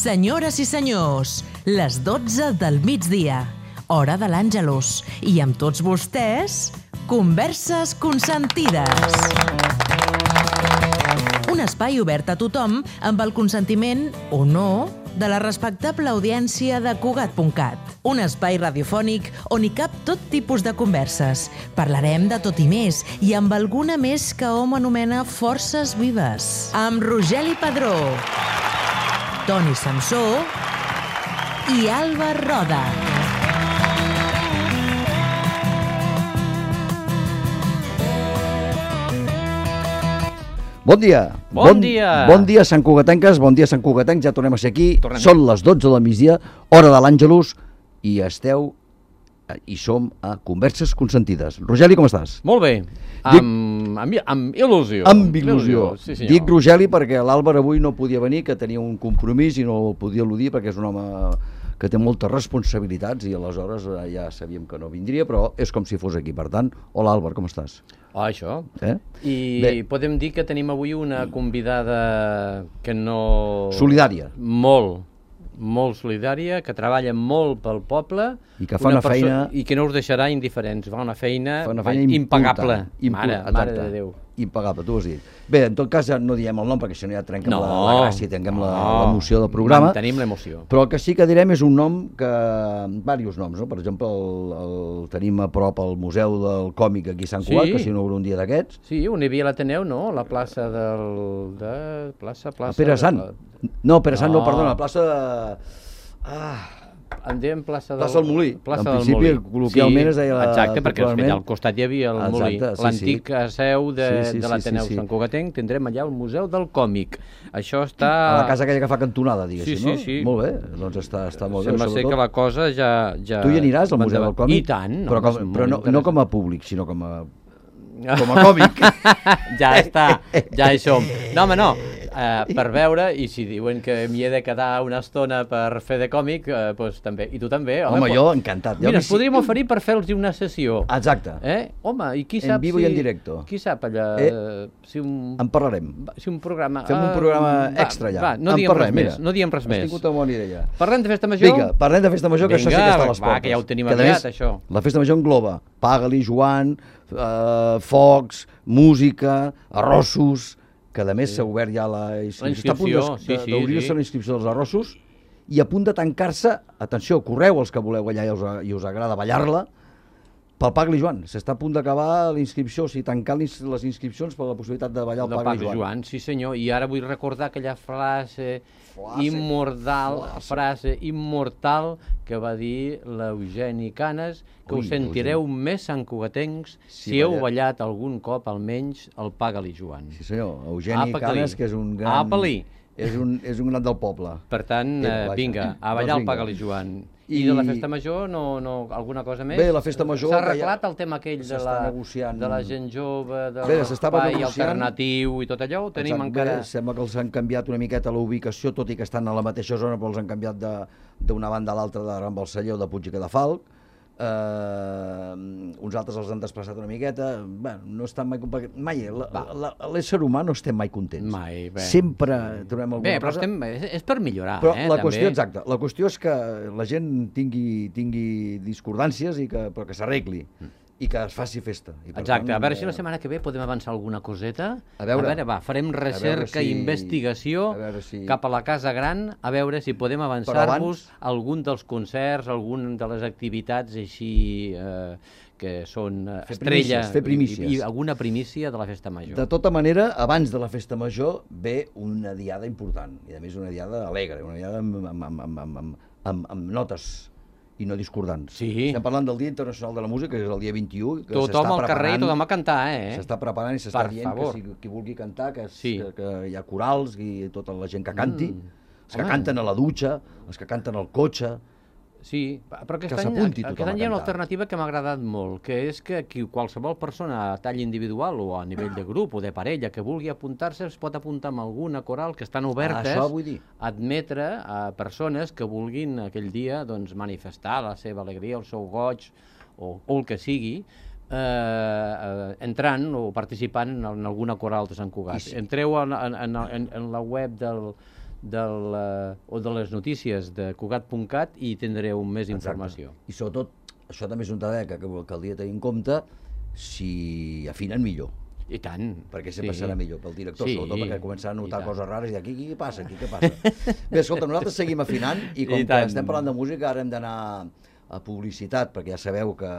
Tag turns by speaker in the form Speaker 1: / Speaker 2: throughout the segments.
Speaker 1: Senyores i senyors, les 12 del migdia, hora de l'Àngelus, i amb tots vostès, Converses Consentides. Un espai obert a tothom amb el consentiment, o no, de la respectable audiència de Cugat.cat. Un espai radiofònic on hi cap tot tipus de converses. Parlarem de tot i més, i amb alguna més que hom anomena forces vives. Amb Rogeli Padró, Toni Samsó i Alba Roda.
Speaker 2: Bon dia.
Speaker 3: Bon dia.
Speaker 2: Bon dia, Sant Cugatenques, bon dia, Sant Cugatencs, ja tornem a ser aquí. Són les 12 del migdia, hora de l'Àngelus, i som a Converses Consentides. Rogeli, com estàs?
Speaker 3: Molt bé, amb il·lusió.
Speaker 2: Amb il·lusió.
Speaker 3: Sí, senyor.
Speaker 2: Dic Rogeli perquè l'Àlvar avui no podia venir, que tenia un compromís i no el podia eludir perquè és un home que té moltes responsabilitats i aleshores ja sabíem que no vindria, però és com si fos aquí. Per tant, hola Àlvar, com estàs?
Speaker 3: Això. I
Speaker 2: Bé.
Speaker 3: podem dir que tenim avui una convidada que no...
Speaker 2: Solidària.
Speaker 3: Molt solidària, que treballa molt pel poble.
Speaker 2: I que fa una feina...
Speaker 3: I que no us deixarà indiferents. Fa una feina
Speaker 2: impagable.
Speaker 3: Mare de Déu.
Speaker 2: Impagable, tu ho has dit. Bé, en tot cas ja no diem el nom perquè si no ja trenquem la gràcia, trenquem l'emoció del programa.
Speaker 3: Mantenim l'emoció.
Speaker 2: Però el que sí que direm és un nom que... Diversos noms, no? Per exemple, el tenim a prop al Museu del Còmic aquí a Sant Cugat, que s'inaugura un dia d'aquests.
Speaker 3: Sí, on hi havia l'Ateneu, no? La plaça plaça...
Speaker 2: Pere Sant. No, Pere Sant no, perdona, la plaça de...
Speaker 3: En diem plaça
Speaker 2: del Molí.
Speaker 3: Plaça
Speaker 2: en principi, col·loquialment es deia...
Speaker 3: Exacte, perquè al costat hi havia el Molí. L'antic seu de l'Ateneu Sant Cugatenc. Tindrem allà el Museu del Còmic. Això està...
Speaker 2: A la casa aquella que fa cantonada, diguéssim, no?
Speaker 3: Sí.
Speaker 2: Molt bé, doncs està molt bé.
Speaker 3: Sembla ser que la cosa ja...
Speaker 2: Tu hi aniràs al Museu del Còmic?
Speaker 3: I tant.
Speaker 2: Però no com a públic, sinó com a còmic.
Speaker 3: Ja està, ja hi som. No, home, no. Per veure, i si diuen que m'hi he de quedar una estona per fer de còmic, doncs també. I tu també, home.
Speaker 2: Home, jo encantat.
Speaker 3: Mira, ens podríem oferir per fer-los una sessió.
Speaker 2: Exacte.
Speaker 3: Home, i qui sap
Speaker 2: en vivo i en directo.
Speaker 3: Qui sap allà...
Speaker 2: En parlarem.
Speaker 3: Si un programa...
Speaker 2: Fem un programa extra allà.
Speaker 3: Va, no diem res més.
Speaker 2: Has tingut una bona idea.
Speaker 3: Parlem de festa major?
Speaker 2: Vinga, parlem de festa major, que això sí que està a les portes.
Speaker 3: Va, que ja ho tenim aviat, això.
Speaker 2: La festa major engloba Paga-li, Joan, focs, música, arrossos, que a més s'ha obert ja la inscripció. Està a punt d'obrir-se la inscripció dels arrossos i a punt de tancar-se, atenció, correu els que voleu allà i us agrada ballar-la, pel Paga-li Joan. S'està a punt d'acabar la inscripció, o sigui, tancar les inscripcions per la possibilitat de ballar el Paga-li Joan.
Speaker 3: Sí senyor, i ara vull recordar aquella frase immortal que va dir l'Eugeni Canes, que us sentireu més santcugatencs si heu ballat algun cop almenys el Paga-li Joan.
Speaker 2: Sí senyor, Eugeni Canes, que és un gran... És un gran del poble.
Speaker 3: Per tant, vinga, a ballar el Paga-li Joan. I de la festa major, alguna cosa més?
Speaker 2: Bé, la festa major...
Speaker 3: S'ha arreglat el tema aquell de la gent jove, de l'espai alternatiu i tot allò? Ho tenim encara...
Speaker 2: Sembla que els han canviat una miqueta la ubicació, tot i que estan a la mateixa zona, però els han canviat d'una banda a l'altra de Ram Balselló, de Puig i Cadafalc. Uns altres els han desplaçat una miqueta. No estan mai... L'ésser humà no estem mai contents.
Speaker 3: Mai, bé.
Speaker 2: Sempre trobem alguna cosa.
Speaker 3: Bé, però és per millorar,
Speaker 2: però la qüestió, exacte, la qüestió és que la gent tingui discordàncies però que s'arregli i que es faci festa.
Speaker 3: Exacte, a veure si la setmana que ve podem avançar alguna coseta.
Speaker 2: A veure,
Speaker 3: va, farem recerca i investigació cap a la Casa Gran, a veure si podem avançar-vos algun dels concerts, algun de les activitats així que són estrella i alguna primícia de la festa major.
Speaker 2: De tota manera, abans de la festa major ve una diada important, i a més una diada alegre, una diada amb notes i no discordants.
Speaker 3: Sí.
Speaker 2: Estem parlant del Dia Internacional de la Música, que és el dia 21.
Speaker 3: Tothom al carrer i tothom a cantar,
Speaker 2: S'està preparant i s'està dient que qui vulgui cantar, que hi ha corals i tota la gent que canti, els que canten a la dutxa, els que canten al cotxe...
Speaker 3: Sí, però aquest any hi ha una alternativa que m'ha agradat molt, que és que qualsevol persona a tall individual o a nivell de grup o de parella que vulgui apuntar-se es pot apuntar amb alguna coral que estan obertes a admetre a persones que vulguin aquell dia manifestar la seva alegria, el seu goig o el que sigui, entrant o participant en alguna coral de Sant Cugat. Entreu en la web o de les notícies de Cugat.cat i tindreu més informació.
Speaker 2: I sobretot, això també és un dada que caldria tenir en compte, si afinen millor.
Speaker 3: I tant.
Speaker 2: Perquè sempre serà millor pel director, sobretot perquè començarà a notar coses rares i dir, aquí què passa, aquí què passa. Bé, escolta, nosaltres seguim afinant i com que estem parlant de música, ara hem d'anar a publicitat, perquè ja sabeu que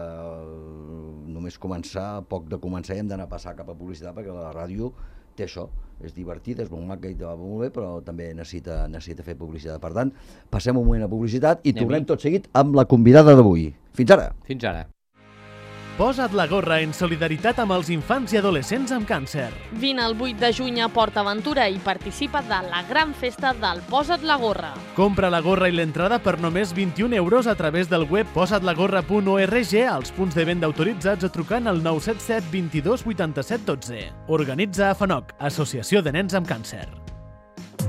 Speaker 2: només començar, poc de començar, i hem d'anar a passar cap a publicitat, perquè la ràdio té això, és divertida, és molt maca i va molt bé, però també necessita fer publicitat. Per tant, passem un moment a publicitat i tornem tot seguit amb la convidada d'avui. Fins ara.
Speaker 3: Fins ara.
Speaker 4: Posa't la gorra en solidaritat amb els infants i adolescents amb càncer.
Speaker 5: Vine el 8 de juny a Port Aventura i participa de la gran festa del Posa't la gorra.
Speaker 4: Compra la gorra i l'entrada per només 21 € a través del web posatlagorra.org, als punts de venda autoritzats o trucant al 977 22 87 12. Organitza AFANOC, Associació de Nens amb Càncer.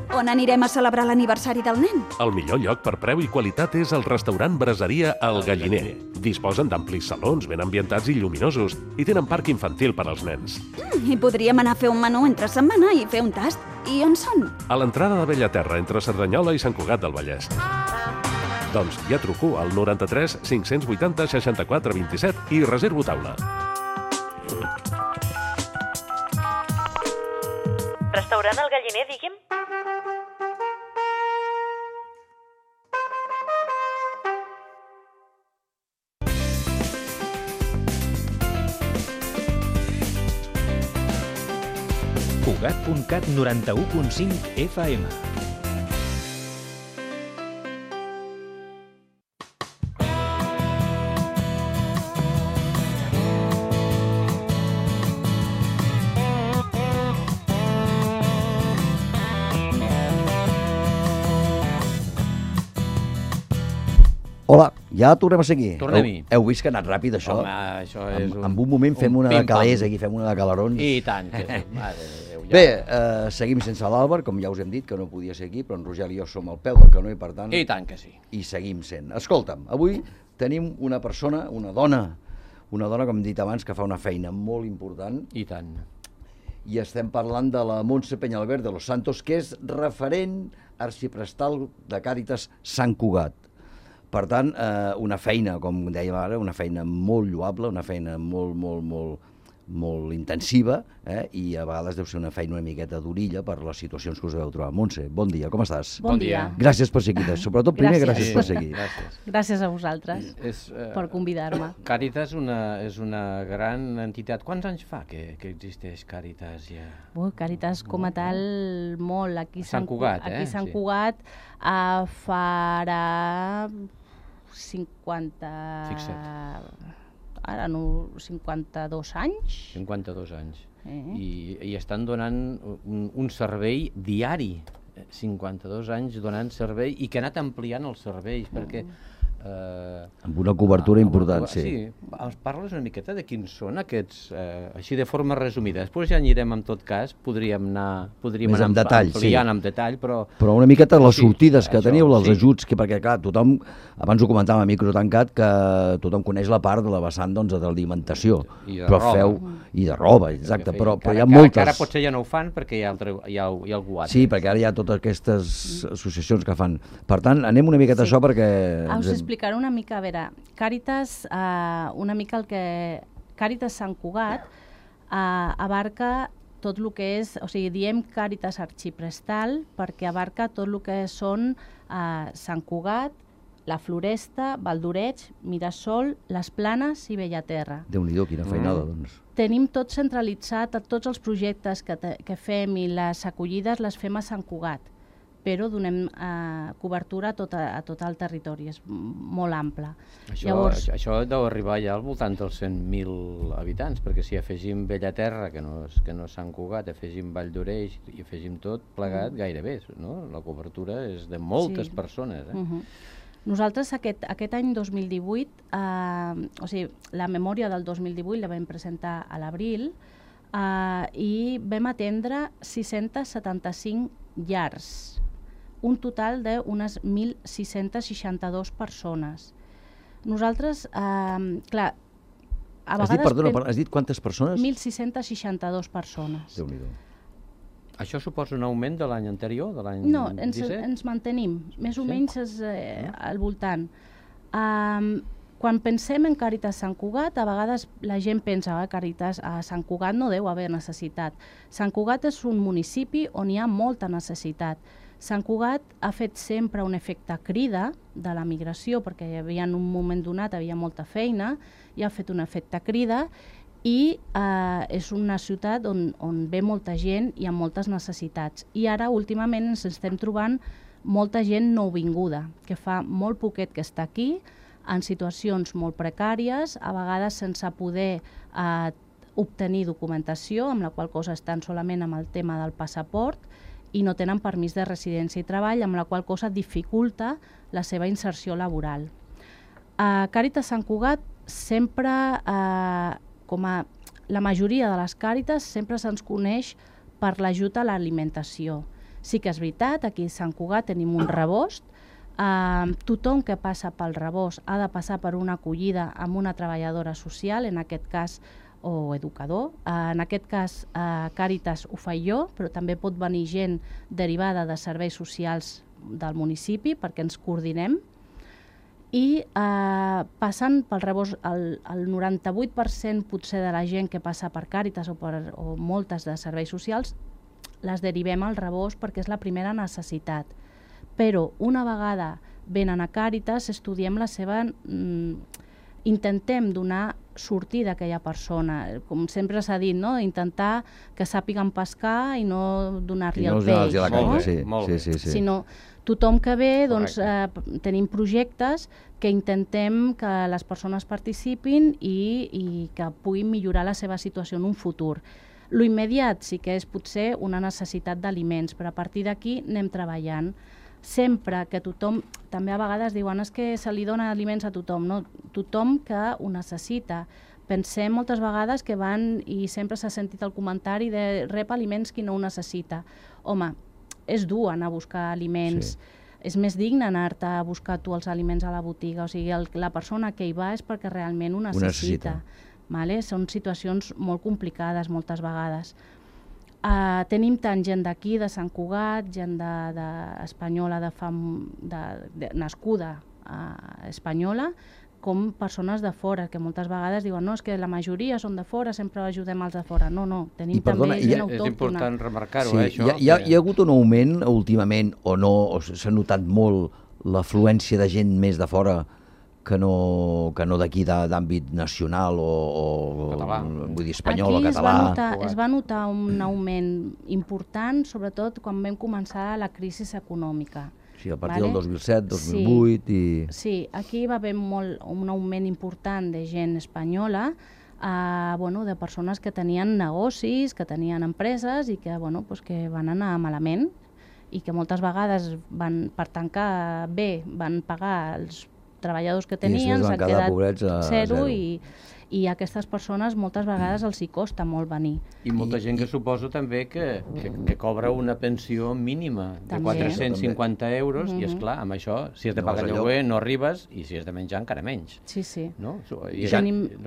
Speaker 6: On anirem a celebrar l'aniversari del nen?
Speaker 7: El millor lloc per preu i qualitat és el restaurant Braseria El Galliner. Disposen d'amplis salons ben ambientats i lluminosos i tenen parc infantil per als nens.
Speaker 6: I podríem anar a fer un menú entre setmana i fer un tast. I on són?
Speaker 7: A l'entrada de Bellaterra, entre Cerdanyola i Sant Cugat del Vallès. Doncs ja truco al 93 580 64 27 i reservo taula.
Speaker 1: Restaurant El Galliner, digui'm?
Speaker 8: Cugat.cat 91.5 FM.
Speaker 2: Hola, ja tornem a seguir.
Speaker 3: Tornem-hi.
Speaker 2: Heu vist que ha anat ràpid, això?
Speaker 3: Home, això és
Speaker 2: en un moment fem una de calés, aquí fem una de calarons.
Speaker 3: I tant. Que sí.
Speaker 2: Bé, seguim sense l'Àlvar, com ja us hem dit, que no podia ser aquí, però en Roger i jo som al peu del canó i per tant...
Speaker 3: I tant que sí.
Speaker 2: I seguim sent. Escolta'm, avui tenim una persona, una dona, com hem dit abans, que fa una feina molt important.
Speaker 3: I tant.
Speaker 2: I estem parlant de la Montse Peñalver de los Santos, que és referent arxiprestal de Càritas Sant Cugat. Per tant, una feina, com dèiem ara, una feina molt lloable, una feina molt intensiva, i a vegades deu ser una feina una miqueta d'orilla per les situacions que us deveu trobar. Montse, bon dia, com estàs?
Speaker 5: Bon dia.
Speaker 2: Gràcies per ser aquí, sobretot primer gràcies per ser aquí.
Speaker 5: Gràcies a vosaltres per convidar-me.
Speaker 3: Càritas és una gran entitat. Quants anys fa que existeix Càritas ja?
Speaker 5: Càritas com a tal, molt. Aquí
Speaker 3: Sant Cugat,
Speaker 5: Aquí Sant Cugat farà 50...
Speaker 3: Fixa't.
Speaker 5: Ara no, 52 anys.
Speaker 3: 52 anys. I estan donant un servei diari. 52 anys donant servei i que ha anat ampliant els serveis, perquè...
Speaker 2: amb una cobertura important, sí.
Speaker 3: Sí, ens parles una miqueta de quins són aquests, així de forma resumida. Després ja anirem, en tot cas, podríem anar ampliant en detall, però
Speaker 2: una miqueta les sortides que teniu, els ajuts, perquè clar, tothom, abans ho comentàvem a micro tancat, que tothom coneix la part de la vessant d'alimentació, però feu, i de roba, exacte, però hi ha moltes...
Speaker 3: Ara potser ja no ho fan perquè hi ha algú altre.
Speaker 2: Sí, perquè ara hi ha totes aquestes associacions que fan. Per tant, anem una miqueta a això perquè...
Speaker 5: Explicar una mica, a veure, Càritas, una mica el que... Càritas Sant Cugat abarca tot el que és, o sigui, diem Càritas Arxiprestal perquè abarca tot el que són Sant Cugat, la Floresta, Valdoreig, Mirasol, les Planes i Bellaterra.
Speaker 2: Déu-n'hi-do, quina feinada, doncs.
Speaker 5: Tenim tot centralitzat, tots els projectes que fem i les acollides les fem a Sant Cugat, però donem cobertura a tot el territori, és molt ample.
Speaker 3: Això deu arribar ja al voltant dels 100.000 habitants, perquè si afegim Bellaterra, que no és Sant Cugat, afegim Valldoreix i afegim tot plegat, gairebé, no? La cobertura és de moltes persones.
Speaker 5: Nosaltres aquest any 2018, o sigui, la memòria del 2018 la vam presentar a l'abril i vam atendre 675 llars, un total d'unes 1.662 persones. Nosaltres, clar, a vegades...
Speaker 2: Has dit quantes persones?
Speaker 5: 1.662 persones.
Speaker 2: Déu-n'hi-do.
Speaker 3: Això suposa un augment de l'any anterior, de l'any 17?
Speaker 5: No, ens mantenim, més o menys al voltant. Quan pensem en Càritas Sant Cugat, a vegades la gent pensa que Càritas a Sant Cugat no deu haver necessitat. Sant Cugat és un municipi on hi ha molta necessitat. Sant Cugat ha fet sempre un efecte crida de la migració, perquè hi havia en un moment donat havia molta feina, i ha fet un efecte crida, i és una ciutat on ve molta gent i amb moltes necessitats. I ara, últimament, ens estem trobant molta gent nouvinguda, que fa molt poquet que està aquí, en situacions molt precàries, a vegades sense poder obtenir documentació, amb la qual cosa estan solament amb el tema del passaport, i no tenen permís de residència i treball, amb la qual cosa dificulta la seva inserció laboral. A Càritas Sant Cugat sempre, com a la majoria de les Càritas, sempre se'ns coneix per l'ajut a l'alimentació. Sí que és veritat, aquí a Sant Cugat tenim un rebost. Tothom que passa pel rebost ha de passar per una acollida amb una treballadora social, en aquest cas, o educador. En aquest cas, Càritas ho faig jo, però també pot venir gent derivada de serveis socials del municipi perquè ens coordinem. I passant pel rebost, el 98% potser de la gent que passa per Càritas o moltes de serveis socials les derivem al rebost perquè és la primera necessitat. Però una vegada venen a Càritas, estudiem la seva... intentem donar sortida a aquella persona. Com sempre s'ha dit, no? Intentar que sàpiguen pescar i no donar-li el peix.
Speaker 2: Sí.
Speaker 5: Sinó tothom que ve, doncs, tenim projectes que intentem que les persones participin i que puguin millorar la seva situació en un futur. Lo immediat sí que és potser una necessitat d'aliments, però a partir d'aquí anem treballant. Sempre que tothom, també a vegades diuen que se li dona aliments a tothom, no? Tothom que ho necessita. Pensem moltes vegades que van i sempre s'ha sentit el comentari de rep aliments qui no ho necessita. Home, és dur anar a buscar aliments, és més digne anar-te a buscar tu els aliments a la botiga, o sigui, la persona que hi va és perquè realment ho necessita. Vale? Són situacions molt complicades moltes vegades. Tenim tant gent d'aquí, de Sant Cugat, gent espanyola, nascuda espanyola, com persones de fora, que moltes vegades diuen no, és que la majoria són de fora, sempre ajudem els de fora. No, tenim també gent autòctona.
Speaker 3: És important remarcar-ho, això.
Speaker 2: Hi ha hagut un augment últimament, o no, o s'ha notat molt l'afluència de gent més de fora que no d'aquí d'àmbit nacional o vull dir espanyol o català.
Speaker 5: Aquí es va notar un augment important, sobretot quan vam començar la crisi econòmica.
Speaker 2: Sí, a partir del 2007, 2008 i...
Speaker 5: Sí, aquí va haver un augment important de gent espanyola, de persones que tenien negocis, que tenien empreses i que van anar malament i que moltes vegades per tancar bé van pagar els treballadors que tenien, s'han quedat zero i a aquestes persones moltes vegades els hi costa molt venir.
Speaker 3: I molta gent que suposo també que cobra una pensió mínima de 450 euros i, esclar, amb això, si has de pagar lloguer no arribes i si has de menjar encara menys.
Speaker 5: Sí.
Speaker 3: No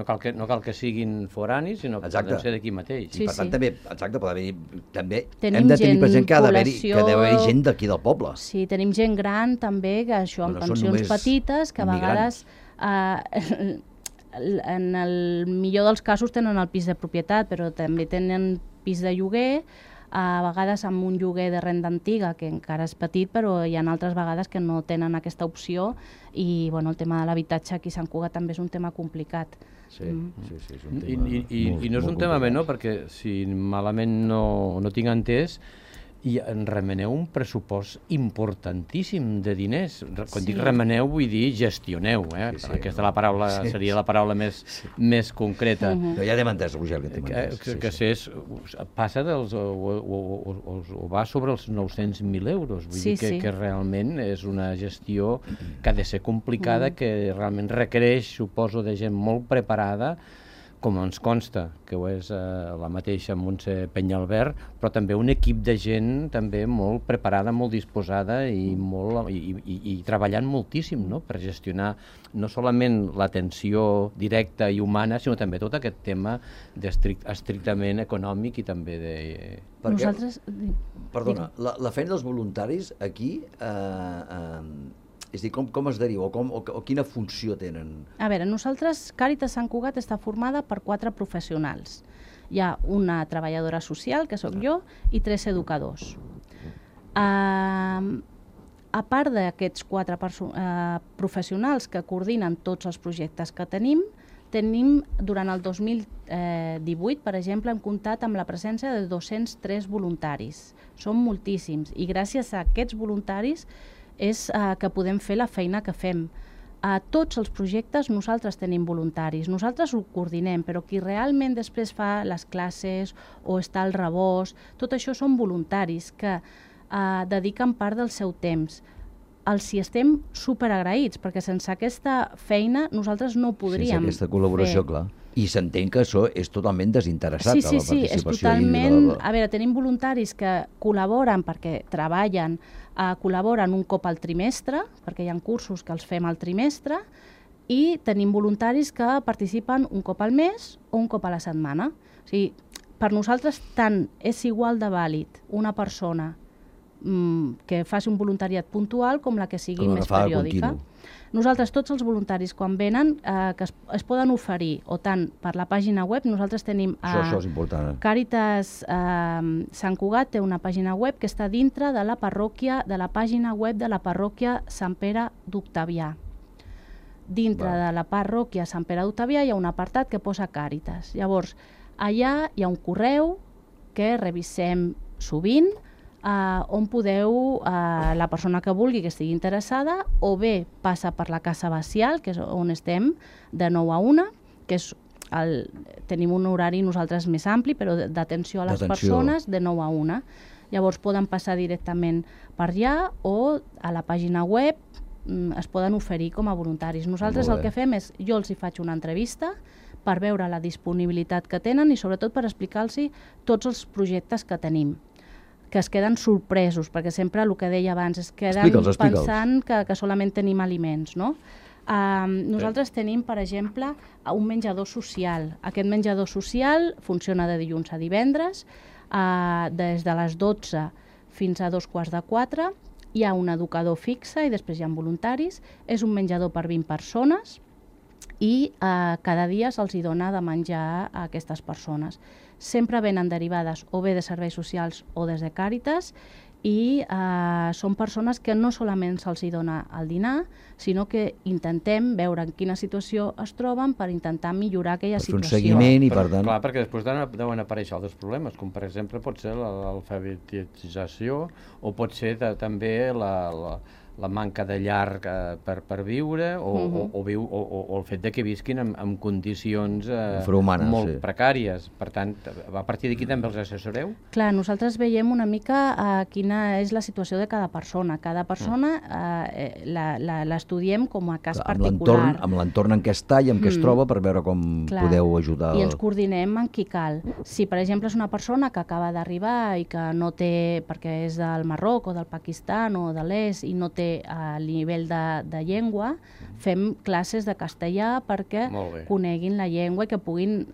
Speaker 3: cal que siguin foranis, sinó que poden ser d'aquí mateix.
Speaker 2: I per tant també, també hem de tenir present que deu haver gent d'aquí del poble.
Speaker 5: Sí, tenim gent gran també, que això amb pensions petites, que a vegades... En el millor dels casos tenen el pis de propietat, però també tenen pis de lloguer, a vegades amb un lloguer de renda antiga, que encara és petit, però hi ha altres vegades que no tenen aquesta opció i el tema de l'habitatge aquí a Sant Cugat també és un tema complicat.
Speaker 2: Sí, és un tema
Speaker 3: I no és un tema menor, perquè si malament no tinc entès, i en remeneu un pressupost importantíssim de diners. Quan dic remeneu vull dir gestioneu, aquesta seria la paraula més concreta.
Speaker 2: Però ja t'hem entès, Roger,
Speaker 3: que passa o va sobre els 900.000 euros. Vull dir que realment és una gestió que ha de ser complicada, que realment requereix, suposo, de gent molt preparada com ens consta, que ho és la mateixa Montse Penyalbert, però també un equip de gent també molt preparada, molt disposada i treballant moltíssim, no?, per gestionar no solament l'atenció directa i humana, sinó també tot aquest tema estrictament econòmic i també de...
Speaker 5: Nosaltres...
Speaker 2: Perdona, la feina dels voluntaris aquí... És a dir, com es deriva o quina funció tenen?
Speaker 5: A veure, nosaltres, Càritas Sant Cugat està formada per 4 professionals. Hi ha una treballadora social, que sóc jo, i 3 educadors. A part d'aquests 4 professionals que coordinen tots els projectes que tenim, durant el 2018, per exemple, hem comptat amb la presència de 203 voluntaris. Són moltíssims, i gràcies a aquests voluntaris és que podem fer la feina que fem. A tots els projectes nosaltres tenim voluntaris, nosaltres ho coordinem, però qui realment després fa les classes o està al rebost, tot això són voluntaris que dediquen part del seu temps. Els hi estem superagraïts, perquè sense aquesta feina nosaltres no podríem
Speaker 2: sense aquesta col·laboració, clar. I s'entén que això és totalment desinteressat,
Speaker 5: sí,
Speaker 2: a la participació.
Speaker 5: Sí, és totalment... A veure, tenim voluntaris que col·laboren perquè treballen, col·laboren un cop al trimestre, perquè hi ha cursos que els fem al trimestre, i tenim voluntaris que participen un cop al mes o un cop a la setmana. O sigui, per nosaltres tant és igual de vàlid una persona que faci un voluntariat puntual com la que sigui més periòdica. Nosaltres, tots els voluntaris, quan venen, que es poden oferir, o tant per la pàgina web, nosaltres tenim...
Speaker 2: Això és important.
Speaker 5: Càritas Sant Cugat té una pàgina web que està dintre de la parròquia, de la pàgina web de la parròquia Sant Pere d'Octavià. Dintre de la parròquia Sant Pere d'Octavià hi ha un apartat que posa Càritas. Llavors, allà hi ha un correu que revisem sovint, on podeu, la persona que vulgui que estigui interessada, o bé passa per la Casa Bacial, que és on estem, de 9 a 1, que és tenim un horari nosaltres més ampli, però d'atenció a les persones, de 9 a 1. Llavors poden passar directament per allà o a la pàgina web es poden oferir com a voluntaris. Nosaltres el que fem és, jo els hi faig una entrevista per veure la disponibilitat que tenen i sobretot per explicar-los tots els projectes que tenim, que es queden sorpresos, perquè sempre el que deia abans, es queden pensant que solament tenim aliments, no? Nosaltres tenim, per exemple, un menjador social. Aquest menjador social funciona de dilluns a divendres, des de les 12 fins a 3:45, hi ha un educador fixe i després hi ha voluntaris, és un menjador per 20 persones i cada dia se'ls dona de menjar a aquestes persones. Sempre venen derivades o bé de serveis socials o des de Càritas i són persones que no solament se'ls dona el dinar, sinó que intentem veure en quina situació es troben per intentar millorar aquella situació.
Speaker 2: Per fer un seguiment i per tant...
Speaker 3: Clar, perquè després deuen aparèixer altres problemes, com per exemple pot ser l'alfabetització o pot ser també la manca de llar per viure o el fet de que visquin en condicions molt precàries. Per tant, a partir d'aquí també els assessoreu?
Speaker 5: Clar, nosaltres veiem una mica quina és la situació de cada persona. Cada persona l'estudiem com a cas particular.
Speaker 2: Amb l'entorn en què està i en què es troba per veure com podeu ajudar.
Speaker 5: I ens coordinem en qui cal. Si, per exemple, és una persona que acaba d'arribar i que no té, perquè és del Marroc o del Pakistan o de l'Est i no té a nivell de llengua, fem classes de castellà perquè coneguin la llengua i que puguin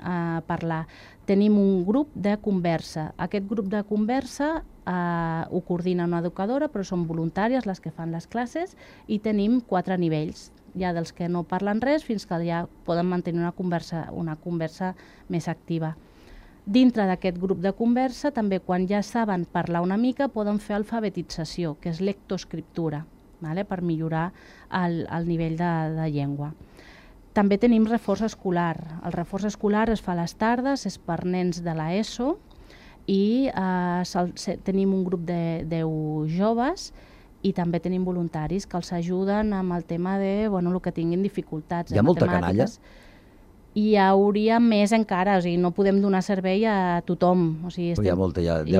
Speaker 5: parlar. Tenim un grup de conversa. Aquest grup de conversa ho coordina una educadora, però són voluntàries les que fan les classes i tenim 4 nivells. Hi ha dels que no parlen res fins que ja poden mantenir una conversa més activa. Dintre d'aquest grup de conversa, també quan ja saben parlar una mica, poden fer alfabetització, que és lectoescriptura, per millorar el nivell de llengua. També tenim reforç escolar. El reforç escolar es fa a les tardes, és per nens de l'ESO i tenim un grup de 10 joves i també tenim voluntaris que els ajuden amb el tema de el que tinguin dificultats.
Speaker 2: Hi ha molta canalla?
Speaker 5: Hi hauria més encara, o sigui, no podem donar servei a tothom. O sigui,
Speaker 2: deu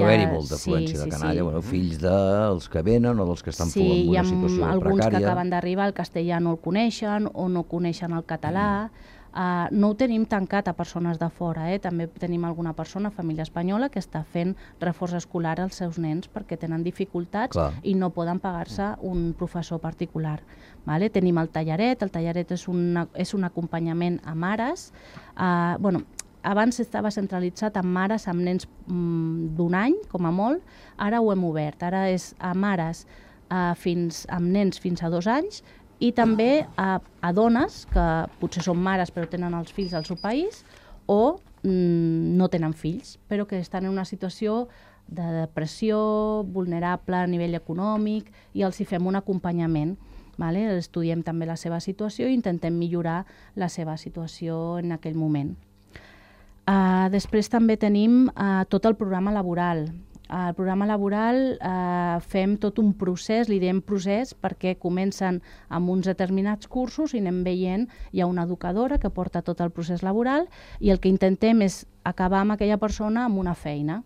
Speaker 2: haver-hi molta afluència de canalla, fills dels que venen o dels que estan en una situació precària.
Speaker 5: Sí, hi ha alguns que acaben d'arribar, el castellà no el coneixen o no coneixen el català. No ho tenim tancat a persones de fora, també tenim alguna persona, família espanyola, que està fent reforç escolar als seus nens perquè tenen dificultats i no poden pagar-se un professor particular. Tenim el tallaret és un acompanyament a mares. Abans estava centralitzat amb mares amb nens d'un any, com a molt, ara ho hem obert, ara és a mares amb nens fins a 2 anys i també a dones que potser són mares però tenen els fills al seu país o no tenen fills, però que estan en una situació de depressió, vulnerable a nivell econòmic i els hi fem un acompanyament. Estudiem també la seva situació i intentem millorar la seva situació en aquell moment. Després també tenim tot el programa laboral. Al programa laboral fem tot un procés, li diem procés, perquè comencen amb uns determinats cursos i anem veient, hi ha una educadora que porta tot el procés laboral i el que intentem és acabar amb aquella persona amb una feina.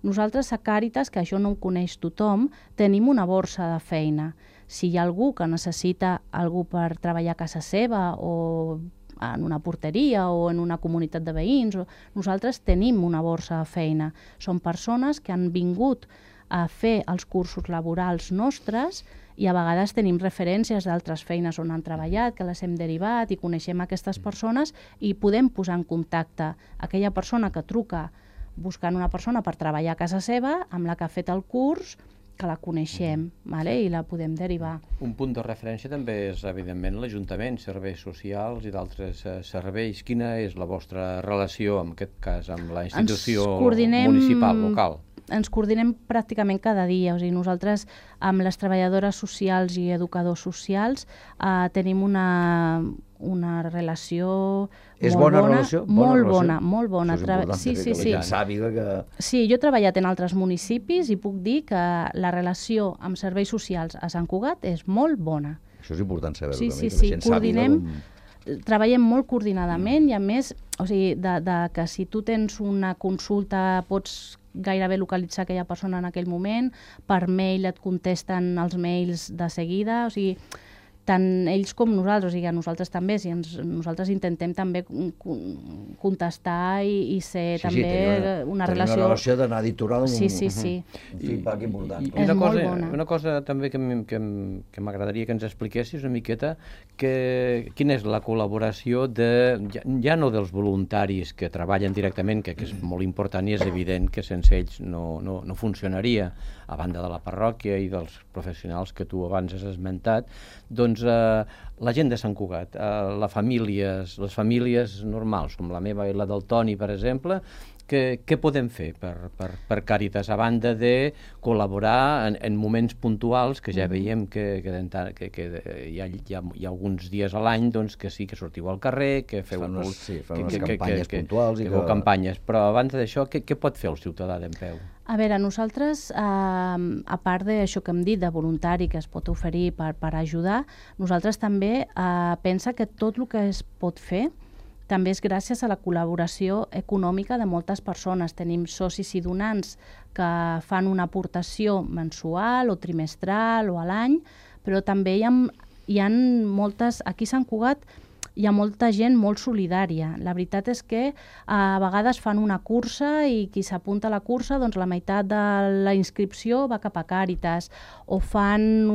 Speaker 5: Nosaltres a Càritas, que això no ho coneix tothom, tenim una borsa de feina. Si hi ha algú que necessita algú per treballar a casa seva o en una porteria o en una comunitat de veïns, nosaltres tenim una borsa de feina. Són persones que han vingut a fer els cursos laborals nostres i a vegades tenim referències d'altres feines on han treballat, que les hem derivat i coneixem aquestes persones i podem posar en contacte aquella persona que truca buscant una persona per treballar a casa seva amb la que ha fet el curs, que la coneixem i la podem derivar.
Speaker 3: Un punt de referència també és, evidentment, l'Ajuntament, serveis socials i d'altres serveis. Quina és la vostra relació, en aquest cas, amb la institució municipal, local?
Speaker 5: Ens coordinem pràcticament cada dia. Nosaltres, amb les treballadores socials i educadors socials, tenim una relació
Speaker 2: és bona relació?
Speaker 5: Molt bona.
Speaker 2: Sí,
Speaker 5: jo he treballat en altres municipis i puc dir que la relació amb serveis socials a Sant Cugat és molt bona.
Speaker 2: Això és important saber-ho
Speaker 5: també, que la gent sàpiga. Treballem molt coordinadament i a més, que si tu tens una consulta pots gairebé localitzar aquella persona en aquell moment, per mail et contesten els mails de seguida, tant ells com nosaltres, nosaltres també, nosaltres intentem també contestar i ser també una relació...
Speaker 2: Una relació d'anar editorial
Speaker 5: un
Speaker 2: feedback important.
Speaker 3: Una cosa també que m'agradaria que ens expliquessis una miqueta, quina és la col·laboració ja no dels voluntaris que treballen directament, que és molt important i és evident que sense ells no funcionaria, a banda de la parròquia i dels professionals que tu abans has esmentat, doncs la gent de Sant Cugat, les famílies normals, com la meva i la del Toni, per exemple, què podem fer per Càritas, a banda de col·laborar en moments puntuals, que ja veiem que hi ha alguns dies a l'any que sí que sortiu al carrer, que feu
Speaker 2: unes campanyes puntuals.
Speaker 3: Que feu campanyes, però abans d'això, què pot fer el ciutadà d'Empeu?
Speaker 5: A veure, nosaltres, a part d'això que hem dit, de voluntari que es pot oferir per ajudar, nosaltres també pensa que tot el que es pot fer també és gràcies a la col·laboració econòmica de moltes persones. Tenim socis i donants que fan una aportació mensual o trimestral o a l'any, però també hi ha moltes... Aquí a Sant Cugat hi ha molta gent molt solidària. La veritat és que a vegades fan una cursa i qui s'apunta a la cursa, doncs la meitat de la inscripció va cap a Càritas, o fan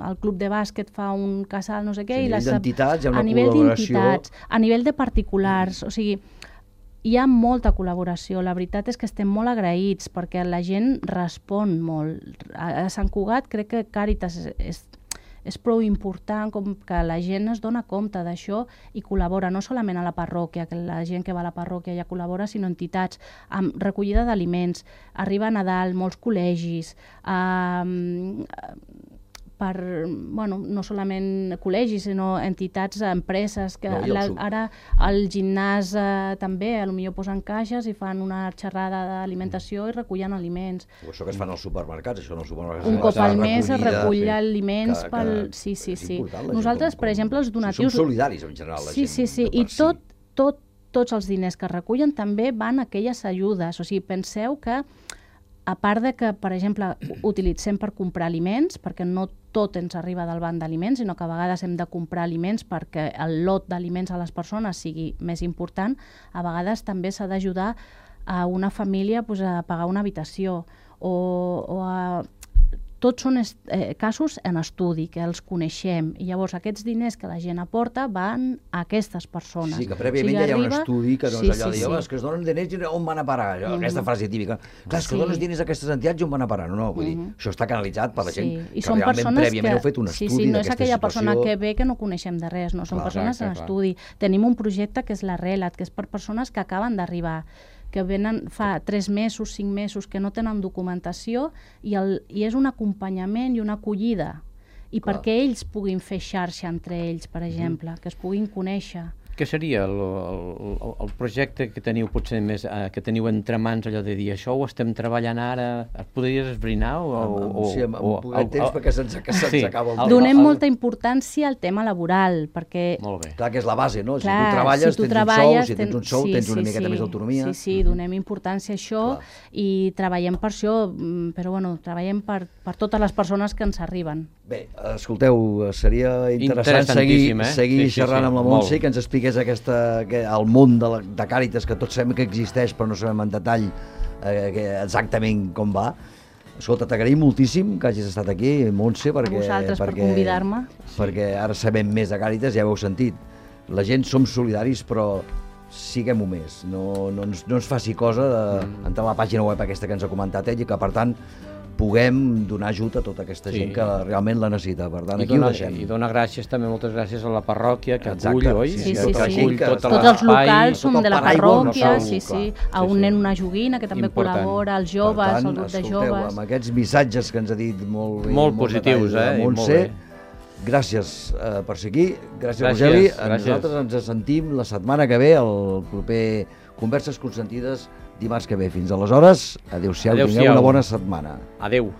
Speaker 5: el club de bàsquet fa un casal, no sé què,
Speaker 2: a nivell d'entitats hi ha una
Speaker 5: col·laboració.
Speaker 2: col·laboració.
Speaker 5: A nivell de particulars, o sigui, hi ha molta col·laboració. La veritat és que estem molt agraïts perquè la gent respon molt. A Sant Cugat crec que Càritas és prou important com que la gent es dona compte d'això i col·labora, no solament a la parròquia, que la gent que va a la parròquia ja col·labora, sinó entitats, amb recollida d'aliments. Arriba a Nadal, molts col·legis, no solament col·legis, sinó entitats, empreses, que ara al gimnàs també potser posen caixes i fan una xerrada d'alimentació i recullen aliments.
Speaker 2: O això que es fan als supermercats, això en els supermercats.
Speaker 5: Un cop al mes es recull aliments pel... Sí. Nosaltres, per exemple, els donatius...
Speaker 2: Som solidaris, en general, la gent.
Speaker 5: Sí, i tots els diners que recullen també van a aquelles ajudes. O sigui, penseu que a part de que, per exemple, utilitzem per comprar aliments, perquè no tot ens arriba del banc d'aliments, sinó que a vegades hem de comprar aliments perquè el lot d'aliments a les persones sigui més important, a vegades també s'ha d'ajudar a una família a pagar una habitació o a... Tots són casos en estudi, que els coneixem, i llavors aquests diners que la gent aporta van a aquestes persones.
Speaker 2: Sí, que prèviament ja hi ha un estudi que no és allò de dir, és que es donen diners i on van a parar? Aquesta frase típica. Clar, és que dones diners a aquestes entitats i on van a parar? No, vull dir, això està canalitzat per la gent que realment prèviament heu fet un estudi d'aquesta situació.
Speaker 5: Sí, no és aquella persona que ve que no coneixem de res, no, són persones en estudi. Tenim un projecte que és la RELAT, que és per persones que acaben d'arribar, que venen fa 3 mesos, 5 mesos, que no tenen documentació i és un acompanyament i una acollida. I perquè ells puguin fer xarxa entre ells, per exemple, que es puguin conèixer.
Speaker 3: Què seria el projecte que teniu potser més, que teniu entre mans, allò de dir, això ho estem treballant ara, et podries esbrinar?
Speaker 2: Sí, amb poquet temps perquè se'ns acaba el temps.
Speaker 5: Donem molta importància al tema laboral, perquè...
Speaker 3: Molt bé.
Speaker 2: Clar, que és la base, no? Si tu treballes, tens un sou, tens una miqueta més d'autonomia.
Speaker 5: Sí, donem importància a això i treballem per això, però bueno, treballem per totes les persones que ens arriben.
Speaker 2: Bé, escolteu, seria interessant seguir xerrant amb la Montse, que ens expliqués el món de Càritas, que tots sabem que existeix, però no sabem en detall exactament com va. Escolta, t'agraïm moltíssim que hagis estat aquí, Montse,
Speaker 5: a vosaltres per convidar-me.
Speaker 2: Perquè ara sabem més de Càritas, ja ho heu sentit. La gent som solidaris, però siguem-ho més. No ens faci cosa d'entrar a la pàgina web aquesta que ens ha comentat ell i que, per tant, puguem donar ajut a tota aquesta gent que realment la necessita. Per tant, aquí ho deixem.
Speaker 3: I donar gràcies, també moltes gràcies a la parròquia que acull, oi?
Speaker 5: Sí. Tots els locals són de la parròquia, a un nen, una joguina, que també col·labora, els joves, el grup de joves.
Speaker 2: Amb aquests missatges que ens ha dit
Speaker 3: molt positius,
Speaker 2: Montse, gràcies per ser aquí, gràcies Rogeli, nosaltres ens sentim la setmana que ve, el proper Converses Consentides, dimarts que ve. Fins aleshores, adéu-siau, tingueu una bona setmana.
Speaker 3: Adéu.